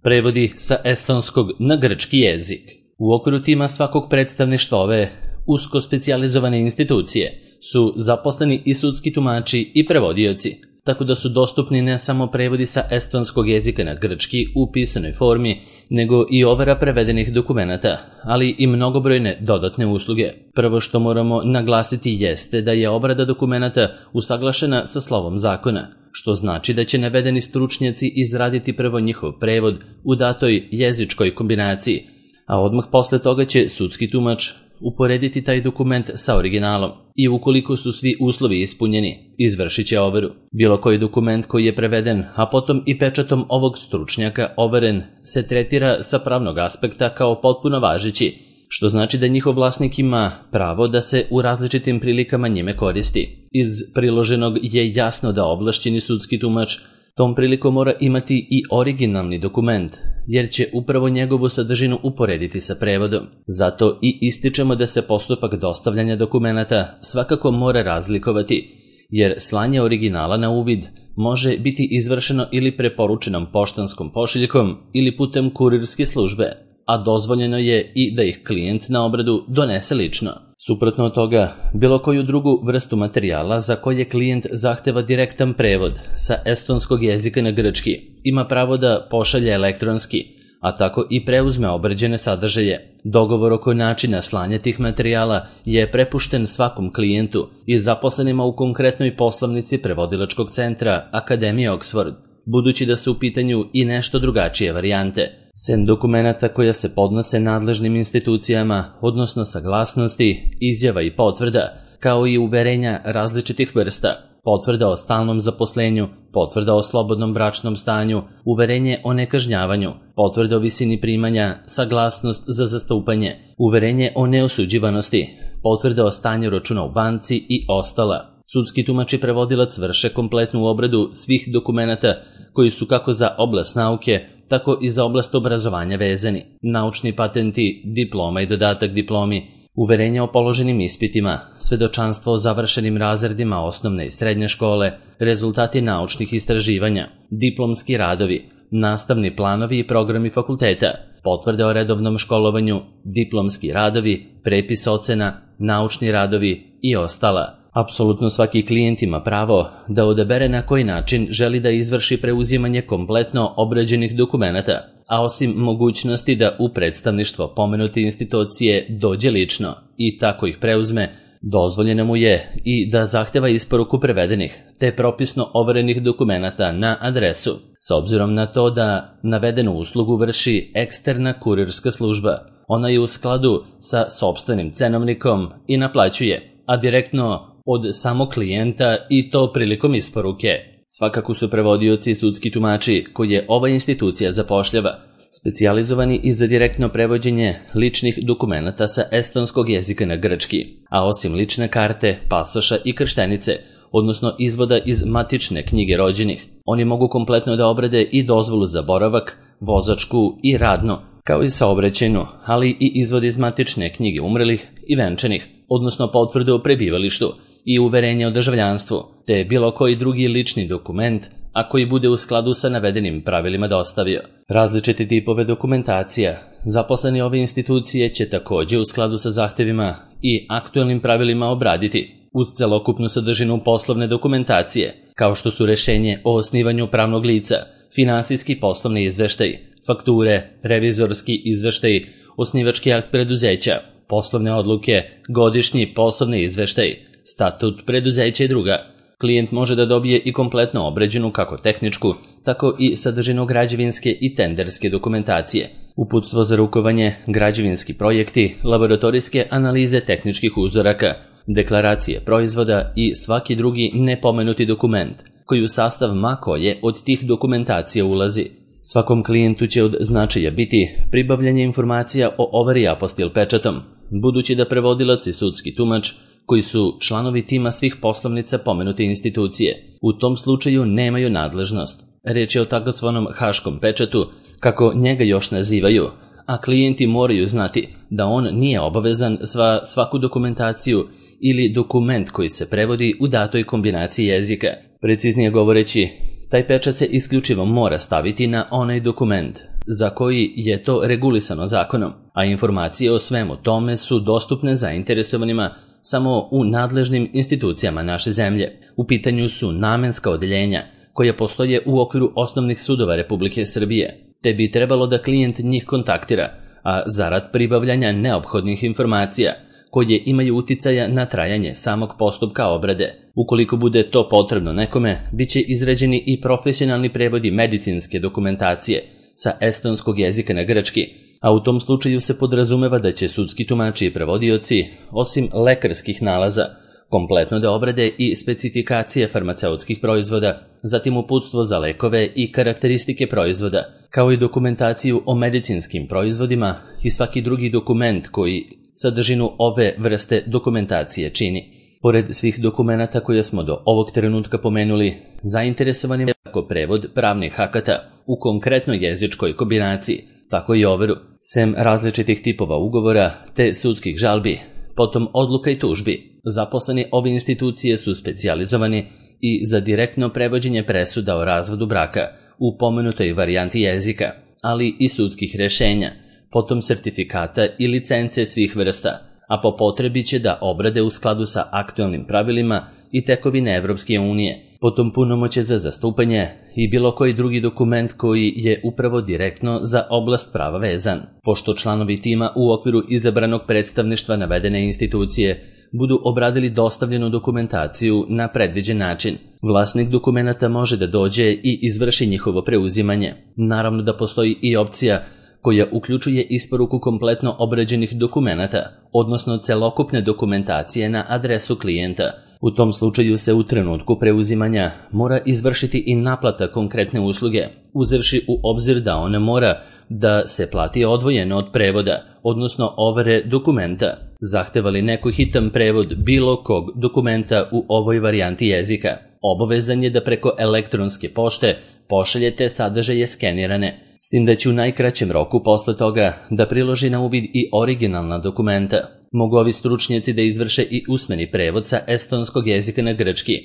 Prevodi sa estonskog na grčki jezik. U okviru tima svakog predstavništva ove usko specijalizovane institucije su zaposleni i sudski tumači i prevodioci, tako da su dostupni ne samo prevodi sa estonskog jezika na grčki u pisanoj formi, nego i overa prevedenih dokumenata, ali i mnogobrojne dodatne usluge. Prvo što moramo naglasiti jeste da je obrada dokumenata usaglašena sa slovom zakona, što znači da će navedeni stručnjaci izraditi prvo njihov prevod u datoj jezičkoj kombinaciji, a odmah posle toga će sudski tumač uporediti taj dokument sa originalom i ukoliko su svi uslovi ispunjeni, izvršit će overu. Bilo koji dokument koji je preveden, a potom i pečatom ovog stručnjaka overen, se tretira sa pravnog aspekta kao potpuno važeći, što znači da njihov vlasnik ima pravo da se u različitim prilikama njime koristi. Iz priloženog je jasno da ovlašćeni sudski tumač tom prilikom mora imati i originalni dokument, jer će upravo njegovu sadržinu uporediti sa prevodom. Zato i ističemo da se postupak dostavljanja dokumenata svakako mora razlikovati, jer slanje originala na uvid može biti izvršeno ili preporučenom poštanskom pošiljkom ili putem kurirske službe, a dozvoljeno je i da ih klijent na obradu donese lično. Suprotno od toga, bilo koju drugu vrstu materijala za koje klijent zahteva direktan prevod sa estonskog jezika na grčki ima pravo da pošalje elektronski, a tako i preuzme obrađene sadržaje. Dogovor oko načina slanja tih materijala je prepušten svakom klijentu i zaposlenima u konkretnoj poslovnici prevodilačkog centra Akademije Oxford, budući da su u pitanju i nešto drugačije varijante. Sem dokumenata koja se podnose nadležnim institucijama, odnosno saglasnosti, izjava i potvrda, kao i uverenja različitih vrsta, potvrda o stalnom zaposlenju, potvrda o slobodnom bračnom stanju, uverenje o nekažnjavanju, potvrda o visini primanja, saglasnost za zastupanje, uverenje o neosuđivanosti, potvrda o stanju računa u banci i ostala. Sudski tumač i prevodilac vrše kompletnu obradu svih dokumenata koji su kako za oblast nauke, tako i za oblast obrazovanja vezani. Naučni patenti, diploma i dodatak diplomi, uverenja o položenim ispitima, svedočanstvo o završenim razredima osnovne i srednje škole, rezultati naučnih istraživanja, diplomski radovi, nastavni planovi i programi fakulteta, potvrde o redovnom školovanju, diplomski radovi, prepis ocena, naučni radovi i ostala. Apsolutno svaki klijent ima pravo da odabere na koji način želi da izvrši preuzimanje kompletno obrađenih dokumenata, a osim mogućnosti da u predstavništvo pomenute institucije dođe lično i tako ih preuzme, dozvoljeno mu je i da zahteva isporuku prevedenih te propisno overenih dokumenata na adresu, s obzirom na to da navedenu uslugu vrši eksterna kurirska služba. Ona je u skladu sa sopstvenim cenovnikom i naplaćuje, a direktno od samog klijenta i to prilikom isporuke. Svakako su prevodioci i sudski tumači koje ova institucija zapošljava specijalizovani i za direktno prevođenje ličnih dokumenata sa estonskog jezika na grčki, a osim lične karte, pasoša i krštenice, odnosno izvoda iz matične knjige rođenih, oni mogu kompletno da obrade i dozvolu za boravak, vozačku i radno, kao i saobraćajnu, ali i izvod iz matične knjige umrlih i venčanih, odnosno potvrdu o prebivalištu i uverenje o državljanstvu, te bilo koji drugi lični dokument, a koji bude u skladu sa navedenim pravilima dostavio. Različite tipove dokumentacija zaposleni ove institucije će takođe u skladu sa zahtevima i aktuelnim pravilima obraditi uz celokupnu sadržinu poslovne dokumentacije, kao što su rešenje o osnivanju pravnog lica, finansijski poslovni izveštaj, fakture, revizorski izveštaj, osnivački akt preduzeća, poslovne odluke, godišnji poslovni izveštaj, statut preduzeća i druga. Klijent može da dobije i kompletno obrađenu kako tehničku, tako i sadržinu građevinske i tenderske dokumentacije, uputstvo za rukovanje, građevinski projekti, laboratorijske analize tehničkih uzoraka, deklaracije proizvoda i svaki drugi nepomenuti dokument, koji u sastav ma koje od tih dokumentacija ulazi. Svakom klijentu će od značaja biti pribavljanje informacija o overi apostil pečatom, budući da prevodilac i sudski tumač, koji su članovi tima svih poslovnica pomenute institucije, u tom slučaju nemaju nadležnost. Reč je o takozvanom haškom pečatu, kako njega još nazivaju, a klijenti moraju znati da on nije obavezan svaku dokumentaciju ili dokument koji se prevodi u datoj kombinaciji jezika. Preciznije govoreći, taj pečat se isključivo mora staviti na onaj dokument, za koji je to regulisano zakonom, a informacije o svemu tome su dostupne zainteresovanima samo u nadležnim institucijama naše zemlje. U pitanju su namenska odeljenja koja postoje u okviru osnovnih sudova Republike Srbije, te bi trebalo da klijent njih kontaktira, a zarad pribavljanja neophodnih informacija koje imaju uticaja na trajanje samog postupka obrade. Ukoliko bude to potrebno nekome, bit će izrađeni i profesionalni prevodi medicinske dokumentacije sa estonskog jezika na grčki, a u tom slučaju se podrazumeva da će sudski tumači i prevodioci, osim lekarskih nalaza, kompletno da obrade i specifikacije farmaceutskih proizvoda, zatim uputstvo za lekove i karakteristike proizvoda, kao i dokumentaciju o medicinskim proizvodima i svaki drugi dokument koji sadržinu ove vrste dokumentacije čini. Pored svih dokumenata koje smo do ovog trenutka pomenuli, zainteresovani je kako prevod pravnih akata u konkretnoj jezičkoj kombinaciji, tako i overu, sem različitih tipova ugovora te sudskih žalbi, potom odluka i tužbi. Zaposleni ove institucije su specijalizovani i za direktno prevođenje presuda o razvodu braka u pomenutoj varijanti jezika, ali i sudskih rešenja, potom sertifikata i licence svih vrsta, a po potrebi će da obrade u skladu sa aktualnim pravilima i tekovine Evropske unije, potom punomoćje za zastupanje i bilo koji drugi dokument koji je upravo direktno za oblast prava vezan. Pošto članovi tima u okviru izabranog predstavništva navedene institucije budu obradili dostavljenu dokumentaciju na predviđen način, vlasnik dokumenata može da dođe i izvrši njihovo preuzimanje. Naravno da postoji i opcija koja uključuje isporuku kompletno obrađenih dokumenata, odnosno celokupne dokumentacije na adresu klijenta. U tom slučaju se u trenutku preuzimanja mora izvršiti i naplata konkretne usluge, uzevši u obzir da ona mora da se plati odvojeno od prevoda, odnosno overe dokumenta. Zahteva li neko hitan prevod bilo kog dokumenta u ovoj varijanti jezika, obavezan je da preko elektronske pošte pošaljete sadržaje skenirane, s tim da će u najkraćem roku posle toga da priloži na uvid i originalna dokumenta. Mogu ovi stručnjaci da izvrše i usmeni prevod sa estonskog jezika na grčki,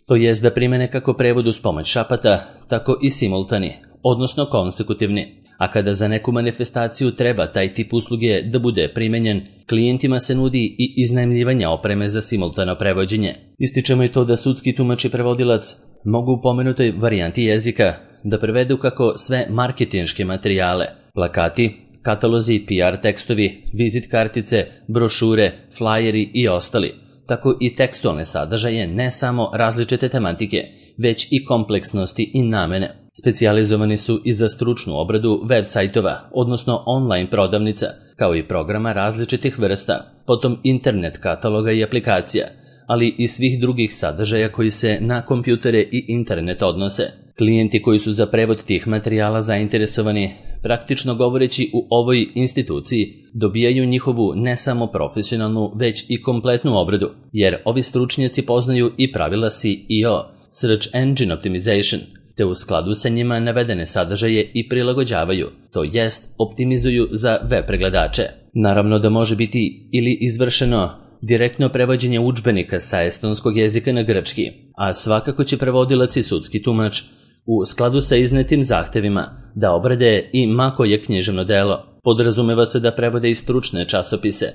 to jest da primene kako prevod uz pomoć šapata, tako i simultani, odnosno konsekutivni. A kada za neku manifestaciju treba taj tip usluge da bude primenjen, klijentima se nudi i iznajmljivanje opreme za simultano prevođenje. Ističemo i to da sudski tumač i prevodilac mogu u pomenutoj varijanti jezika da prevedu kako sve marketinške materijale, plakati, katalozi, PR tekstovi, vizit kartice, brošure, flajeri i ostali, tako i tekstualne sadržaje ne samo različite tematike, već i kompleksnosti i namene. Specijalizovani su i za stručnu obradu web sajtova, odnosno online prodavnica, kao i programa različitih vrsta, potom internet kataloga i aplikacija, ali i svih drugih sadržaja koji se na kompjutere i internet odnose. Klijenti koji su za prevod tih materijala zainteresovani, praktično govoreći u ovoj instituciji, dobijaju njihovu ne samo profesionalnu, već i kompletnu obradu, jer ovi stručnjaci poznaju i pravila SEO, Search Engine Optimization, te u skladu sa njima navedene sadržaje i prilagođavaju, to jest optimizuju za web pregledače. Naravno da može biti ili izvršeno direktno prevođenje udžbenika sa estonskog jezika na grčki, a svakako će prevodilac i sudski tumač u skladu sa iznetim zahtevima da obrade i ma koje književno delo. Podrazumeva se da prevode i stručne časopise,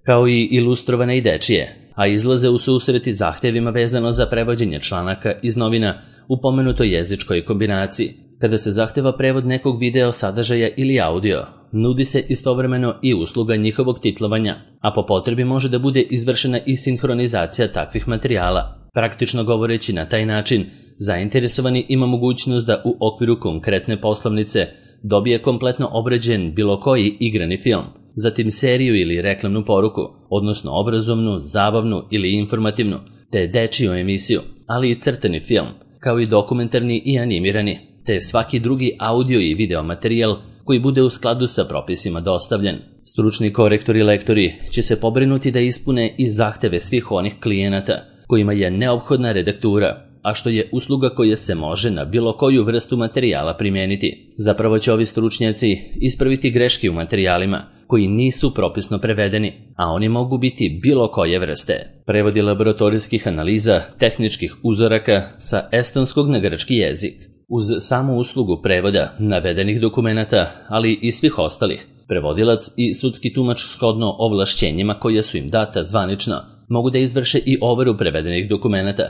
kao i ilustrovane i dečije, a izlaze u susreti zahtevima vezano za prevođenje članaka iz novina u pomenutoj jezičkoj kombinaciji. Kada se zahteva prevod nekog video sadržaja ili audio, nudi se istovremeno i usluga njihovog titlovanja, a po potrebi može da bude izvršena i sinhronizacija takvih materijala. Praktično govoreći na taj način, zainteresovani ima mogućnost da u okviru konkretne poslovnice dobije kompletno obrađen bilo koji igrani film, zatim seriju ili reklamnu poruku, odnosno obrazovnu, zabavnu ili informativnu, te dečiju emisiju, ali i crtani film, kao i dokumentarni i animirani, te svaki drugi audio i video materijal koji bude u skladu sa propisima dostavljen. Stručni korektori i lektori će se pobrinuti da ispune i zahteve svih onih klijenata kojima je neophodna redaktura, a što je usluga koja se može na bilo koju vrstu materijala primijeniti. Zapravo će ovi stručnjaci ispraviti greške u materijalima koji nisu propisno prevedeni, a oni mogu biti bilo koje vrste. Prevodi laboratorijskih analiza, tehničkih uzoraka sa estonskog na grčki jezik. Uz samu uslugu prevoda navedenih dokumenata, ali i svih ostalih, prevodilac i sudski tumač shodno ovlašćenjima koja su im data zvanično mogu da izvrše i overu prevedenih dokumenata,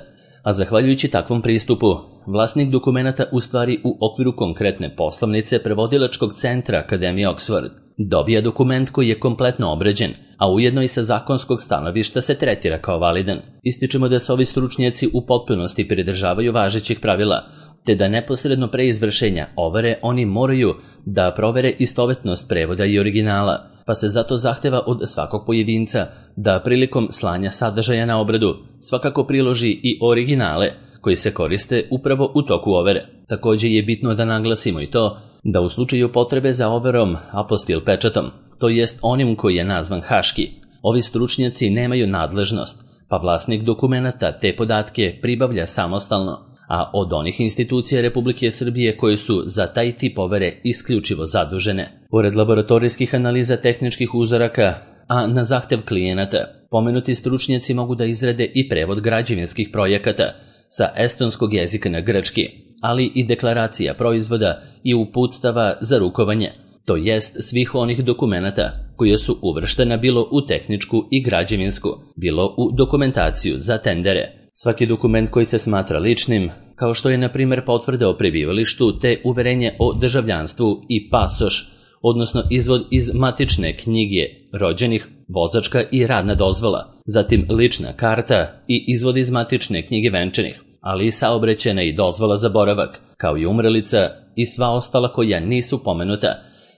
a zahvaljujući takvom pristupu, vlasnik dokumenata u stvari u okviru konkretne poslovnice prevodilačkog centra Akademije Oxford dobija dokument koji je kompletno obrađen, a ujedno i sa zakonskog stanovišta se tretira kao validan. Ističemo da se ovi stručnjaci u potpunosti pridržavaju važećih pravila, te da neposredno pre izvršenja overe oni moraju da provere istovetnost prevoda i originala, pa se zato zahteva od svakog pojedinca da prilikom slanja sadržaja na obradu svakako priloži i originale koji se koriste upravo u toku overe. Također je bitno da naglasimo i to da u slučaju potrebe za overom apostil pečatom, to jest onim koji je nazvan haški, ovi stručnjaci nemaju nadležnost, pa vlasnik dokumenata te podatke pribavlja samostalno, a od onih institucija Republike Srbije koje su za taj tip overe isključivo zadužene. Pored laboratorijskih analiza tehničkih uzoraka, a na zahtev klijenata, pomenuti stručnjaci mogu da izrade i prevod građevinskih projekata sa estonskog jezika na grčki, ali i deklaracija proizvoda i uputstava za rukovanje, to jest svih onih dokumenata koje su uvrštena bilo u tehničku i građevinsku, bilo u dokumentaciju za tendere. Svaki dokument koji se smatra ličnim, kao što je na primjer potvrda o prebivalištu te uverenje o državljanstvu i pasoš, odnosno izvod iz matične knjige rođenih, vozačka i radna dozvola, zatim lična karta i izvod iz matične knjige venčanih, ali i saobraćajna i dozvola za boravak, kao i umrelica i sva ostala koja nisu pomenuta,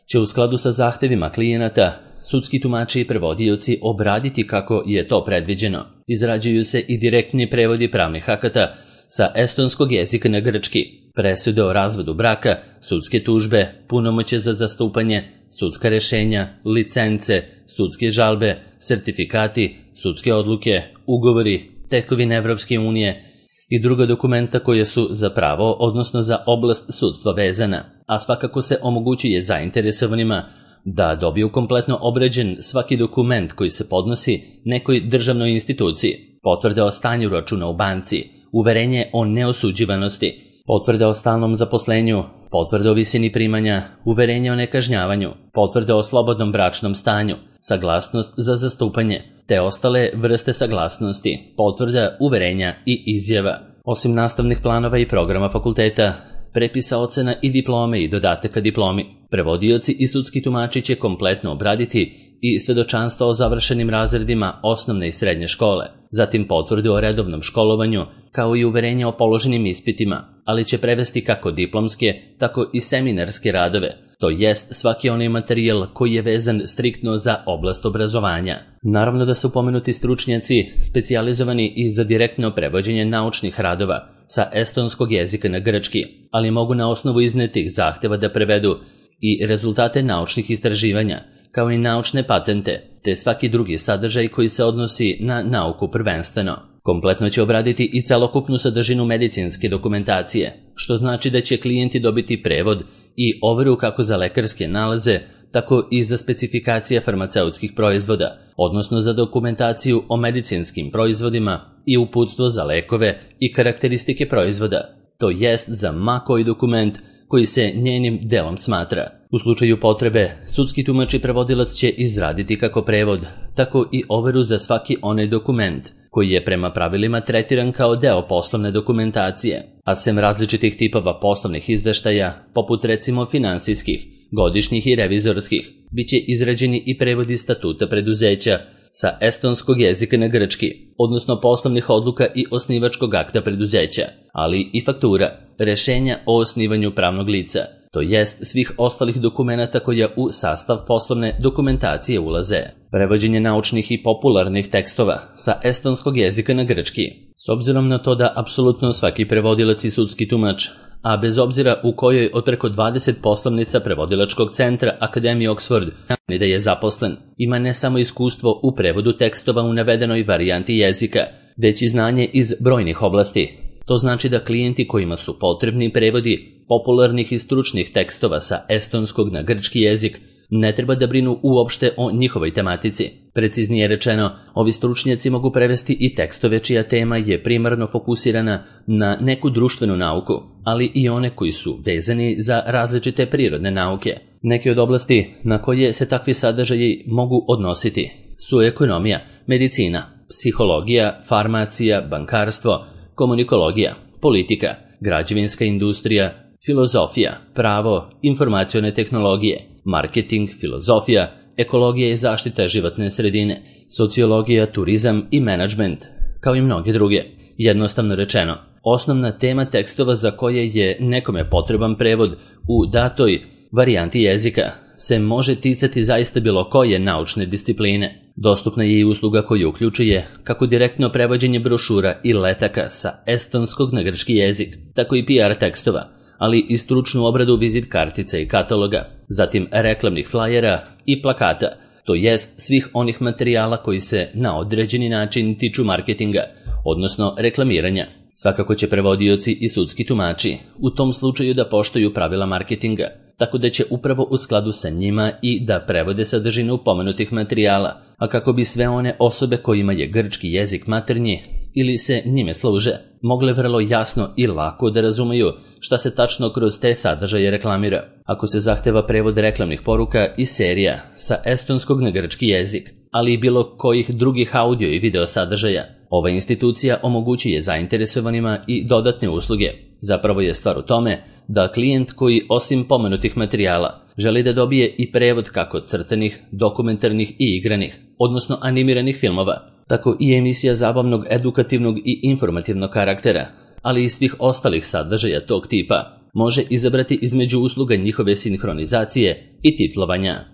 će u skladu sa zahtevima klijenata sudski tumači i prevodioci obraditi kako je to predviđeno. Izrađuju se i direktni prevodi pravnih akata sa estonskog jezika na grčki, presude o razvodu braka, sudske tužbe, punomoćje za zastupanje, sudska rešenja, licence, sudske žalbe, sertifikati, sudske odluke, ugovori, tekovine Evropske unije i druga dokumenta koje su za pravo, odnosno za oblast sudstva vezana, a svakako se omogućuje zainteresovanima da dobiju kompletno obrađen svaki dokument koji se podnosi nekoj državnoj instituciji, potvrde o stanju računa u banci, uverenje o neosuđivanosti, potvrde o stalnom zaposlenju, potvrde o visini primanja, uverenje o nekažnjavanju, potvrde o slobodnom bračnom stanju, saglasnost za zastupanje, te ostale vrste saglasnosti, potvrda, uverenja i izjava. Osim nastavnih planova i programa fakulteta, prepisa ocena i diplome i dodataka diplomi, prevodioci i sudski tumači će kompletno obraditi i svedočanstva o završenim razredima osnovne i srednje škole, zatim potvrdu o redovnom školovanju, kao i uverenje o položenim ispitima, ali će prevesti kako diplomske, tako i seminarske radove, to jest svaki onaj materijal koji je vezan striktno za oblast obrazovanja. Naravno da su pomenuti stručnjaci specijalizovani i za direktno prevođenje naučnih radova sa estonskog jezika na grčki, ali mogu na osnovu iznetih zahteva da prevedu i rezultate naučnih istraživanja, kao i naučne patente, te svaki drugi sadržaj koji se odnosi na nauku prvenstveno. Kompletno će obraditi i celokupnu sadržinu medicinske dokumentacije, što znači da će klijenti dobiti prevod i overu kako za lekarske nalaze, tako i za specifikacije farmaceutskih proizvoda, odnosno za dokumentaciju o medicinskim proizvodima i uputstvo za lekove i karakteristike proizvoda, to jest za ma koji dokument koji se njenim delom smatra. U slučaju potrebe, sudski tumač i prevodilac će izraditi kako prevod, tako i overu za svaki onaj dokument koji je prema pravilima tretiran kao deo poslovne dokumentacije, a sem različitih tipova poslovnih izveštaja, poput recimo finansijskih, godišnjih i revizorskih, bit će izrađeni i prevodi statuta preduzeća sa estonskog jezika na grčki, odnosno poslovnih odluka i osnivačkog akta preduzeća, ali i faktura, rešenja o osnivanju pravnog lica, to jest svih ostalih dokumenata koja u sastav poslovne dokumentacije ulaze. Prevođenje naučnih i popularnih tekstova sa estonskog jezika na grčki. S obzirom na to da apsolutno svaki prevodilac i sudski tumač, a bez obzira u kojoj od preko 20 poslovnica prevodilačkog centra Akademije Oxford da je zaposlen, ima ne samo iskustvo u prevodu tekstova u navedenoj varijanti jezika, već i znanje iz brojnih oblasti. To znači da klijenti kojima su potrebni prevodi popularnih i stručnih tekstova sa estonskog na grčki jezik ne treba da brinu uopšte o njihovoj tematici. Preciznije rečeno, ovi stručnjaci mogu prevesti i tekstove čija tema je primarno fokusirana na neku društvenu nauku, ali i one koji su vezani za različite prirodne nauke. Neke od oblasti na koje se takvi sadržaji mogu odnositi su ekonomija, medicina, psihologija, farmacija, bankarstvo, komunikologija, politika, građevinska industrija, filozofija, pravo, informacione tehnologije, marketing, filozofija, ekologija i zaštita životne sredine, sociologija, turizam i menadžment, kao i mnoge druge. Jednostavno rečeno, osnovna tema tekstova za koje je nekome potreban prevod u datoj varijanti jezika se može ticati zaista bilo koje naučne discipline. Dostupna je i usluga koja uključuje kako direktno prevođenje brošura i letaka sa estonskog na grčki jezik, tako i PR tekstova, ali i stručnu obradu vizit kartica i kataloga, zatim reklamnih flajera i plakata, to jest svih onih materijala koji se na određeni način tiču marketinga, odnosno reklamiranja. Svakako će prevodioci i sudski tumači u tom slučaju da poštuju pravila marketinga, tako da će upravo u skladu sa njima i da prevode sadržinu pomenutih materijala, a kako bi sve one osobe kojima je grčki jezik maternji ili se njime služe, mogle vrlo jasno i lako da razumeju šta se tačno kroz te sadržaje reklamira. Ako se zahteva prevod reklamnih poruka i serija sa estonskog na grčki jezik, ali i bilo kojih drugih audio i video sadržaja, ova institucija omogućuje zainteresovanima i dodatne usluge. Zapravo je stvar u tome da klijent koji osim pomenutih materijala želi da dobije i prevod kako crtanih, dokumentarnih i igranih, odnosno animiranih filmova, tako i emisija zabavnog, edukativnog i informativnog karaktera, ali i svih ostalih sadržaja tog tipa, može izabrati između usluga njihove sinhronizacije i titlovanja.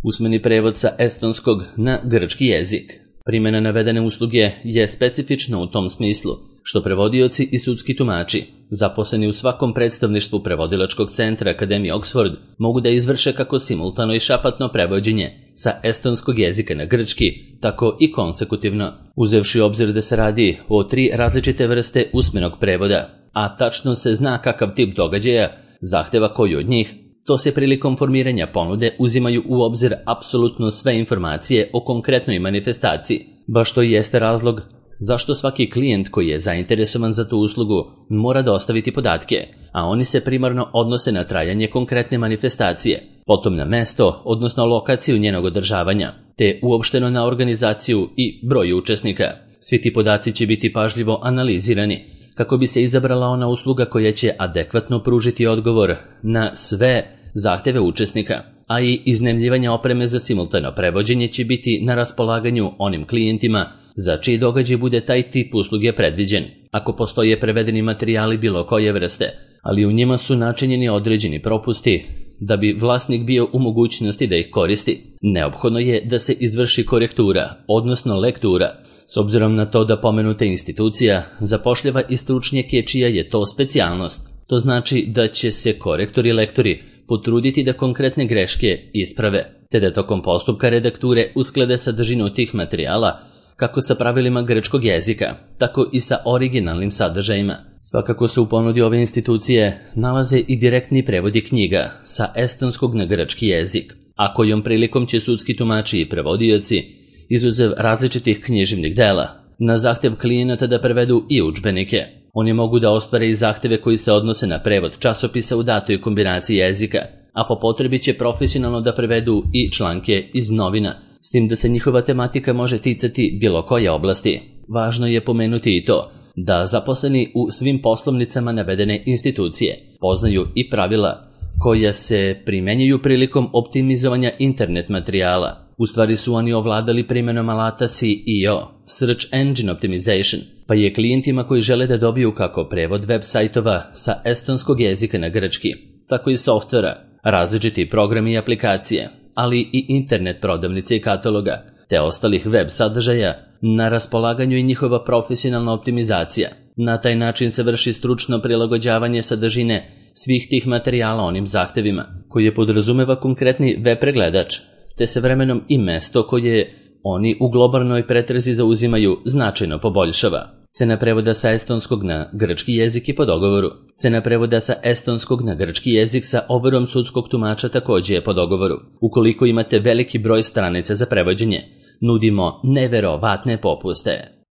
Usmeni prevod sa estonskog na grčki jezik. Primjena navedene usluge je specifična u tom smislu što prevodioci i sudski tumači, zaposleni u svakom predstavništvu prevodilačkog centra Akademije Oxford, mogu da izvrše kako simultano i šapatno prevođenje sa estonskog jezika na grčki, tako i konsekutivno, uzevši obzir da se radi o 3 različite vrste usmenog prevoda, a tačno se zna kakav tip događaja zahteva koji od njih. To se prilikom formiranja ponude uzimaju u obzir apsolutno sve informacije o konkretnoj manifestaciji, baš to i jeste razlog zašto svaki klijent koji je zainteresovan za tu uslugu mora dostaviti podatke, a oni se primarno odnose na trajanje konkretne manifestacije, potom na mesto, odnosno lokaciju njenog održavanja, te uopšteno na organizaciju i broj učesnika. Svi ti podaci će biti pažljivo analizirani kako bi se izabrala ona usluga koja će adekvatno pružiti odgovor na sve zahteve učesnika, a i iznajmljivanje opreme za simultano prevođenje će biti na raspolaganju onim klijentima za čiji događaj bude taj tip usluge predviđen, ako postoje prevedeni materijali bilo koje vrste, ali u njima su načinjeni određeni propusti. Da bi vlasnik bio u mogućnosti da ih koristi, neophodno je da se izvrši korektura, odnosno lektura, s obzirom na to da pomenuta institucija zapošljava i stručnjake čija je to specijalnost. To znači da će se korektori i lektori potruditi da konkretne greške isprave, te da tokom postupka redakture usklade sadržinu tih materijala kako sa pravilima grčkog jezika, tako i sa originalnim sadržajima. Svakako se u ponudi ove institucije nalaze i direktni prevodi knjiga sa estonskog na grčki jezik, a kojom prilikom će sudski tumači i prevodioci, izuzev različitih književnih dela, na zahtev klijenata da prevedu i udžbenike. Oni mogu da ostvare i zahteve koji se odnose na prevod časopisa u datoj kombinaciji jezika, a po potrebi će profesionalno da prevedu i članke iz novina, s tim da se njihova tematika može ticati bilo koje oblasti. Važno je pomenuti i to da zaposleni u svim poslovnicama navedene institucije poznaju i pravila koja se primenjuju prilikom optimizovanja internet materijala. U stvari su oni ovladali primjenom alata SEO, Search Engine Optimization, pa je klijentima koji žele da dobiju kako prevod web sajtova sa estonskog jezika na grčki, tako i softvera, različiti programi i aplikacije, ali i internet prodavnice i kataloga, te ostalih web sadržaja, na raspolaganju i njihova profesionalna optimizacija. Na taj način se vrši stručno prilagođavanje sadržine svih tih materijala onim zahtevima, koje podrazumeva konkretni web pregledač, te se vremenom i mesto koje oni u globalnoj pretrazi zauzimaju značajno poboljšava. Cena prevoda sa estonskog na grčki jezik je po dogovoru. Cena prevoda sa estonskog na grčki jezik sa overom sudskog tumača također je po dogovoru. Ukoliko imate veliki broj stranica za prevođenje, nudimo neverovatne popuste.